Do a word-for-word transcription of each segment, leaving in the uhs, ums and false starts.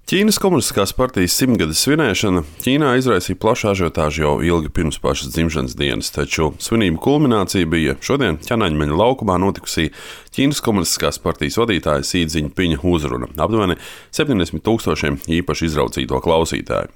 Ķīnas Komunistiskās partijas simtgades svinēšana Ķīnā izraisīja plašu ažiotāžu jau ilgi pirms pašas dzimšanas dienas, taču svinību kulminācija bija šodien Ķanaņmeņa laukumā notikusī Ķīnas Komunistiskās partijas vadītāja Sī Dziņpiņa uzruna aptuveni septiņdesmit tūkstošiem īpaši izraucīto klausītāju.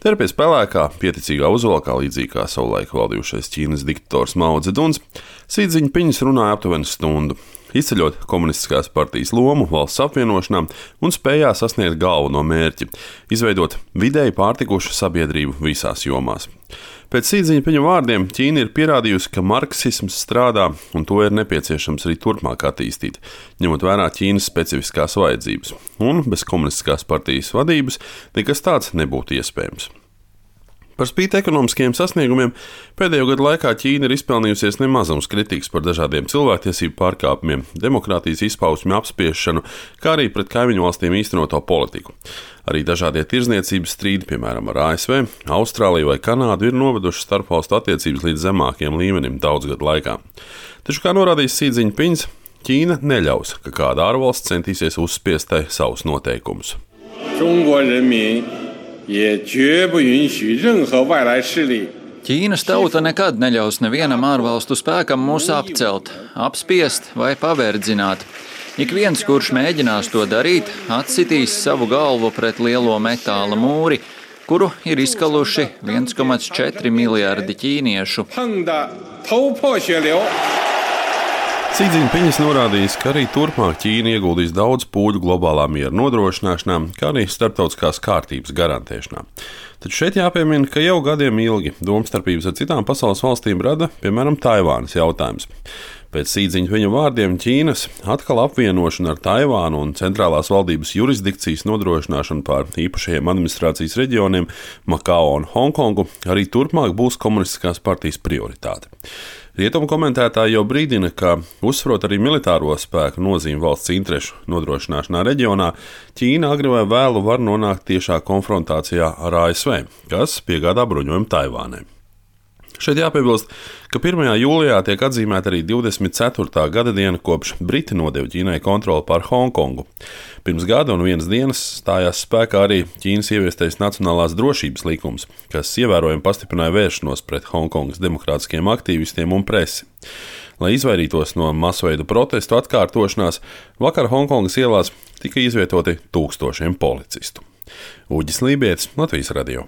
Te ir pie spēlēkā, pieticīgā uzvalkā, līdzīgi kā savulaik valdījušais Ķīnas diktators Mao Dzeduns, Sī Dziņpiņas runāja aptuveni stundu, izceļot komunistiskās partijas lomu valsts apvienošanā un spējā sasniegt galveno mērķi – izveidot vidēji pārtikušu sabiedrību visās jomās. Pēc Sī Dziņpiņa vārdiem Ķīna ir pierādījusi, ka marksisms strādā un to ir nepieciešams arī turpmāk attīstīt, ņemot vērā Ķīnas specifiskās vajadzības, un bez komunistiskās partijas vadības nekas tāds nebūtu iespējams. Par spīti ekonomiskajiem sasniegumiem pēdējo gadu laikā Ķīna ir izpelnījusies nemazums kritikas par dažādiem cilvēktiesību pārkāpumiem, demokrātijas izpausmju apspiešanu, kā arī pret kaimiņu valstīm īstenoto politiku. Arī dažādie tirdzniecības strīdi, piemēram, ar A S V, Austrāliju vai Kanādu, ir noveduši starpvalstu attiecības līdz zemākiem līmenim daudz gadu laikā. Taču, kā norādījis Sī Dziņpiņs, Ķīna neļaus, ka kāda ārvalsts centīsies uzspiest tai savus noteikumus. Ķīnas tauta nekad neļaus nevienam ārvalstu spēkam mūs apcelt, apspiest vai paverdzināt. Ik viens, kurš mēģinās to darīt, atsitīs savu galvu pret lielo metāla mūri, kuru ir izkaluši viens komats četri miljardi ķīniešu. Sī Dziņpiņas norādījis, ka arī turpmāk Ķīna ieguldīs daudz pūļu globālā miera nodrošināšanā, kā arī starptautiskās kārtības garantēšanā. Taču šeit jāpiemina, ka jau gadiem ilgi domstarpības ar citām pasaules valstīm rada, piemēram, Taivānas jautājums. Pēc Sī Dziņpiņa vārdiem Ķīnas atkal apvienošana ar Taivānu un centrālās valdības jurisdikcijas nodrošināšanu pār īpašajiem administrācijas reģioniem Makao un Hongkongu arī turpmāk būs komunistiskās partijas prioritāte. Rietumu komentētāji jau brīdina, ka uzsverot arī militāro spēku nozīmi valsts interešu nodrošināšanā reģionā, Ķīna agri vai vēlu var nonākt tiešā konfrontācijā ar A S V, kas piegādā bruņojumu Taivānai. Šeit jāpiebilst, ka pirmajā jūlijā tiek atzīmēta arī divdesmit ceturtā gada diena, kopš Briti nodeva Ķīnai kontroli pār Hongkongu. Pirms gada un vienas dienas stājās spēkā arī Ķīnas ieviestais Nacionālās drošības likums, kas ievērojami pastiprināja vēršanos pret Hongkongas demokrātiskiem aktīvistiem un presi. Lai izvairītos no masveida protestu atkārtošanās, vakar Hongkongas ielās tika izvietoti tūkstošiem policistu. Uģis Lībietis, Latvijas radio.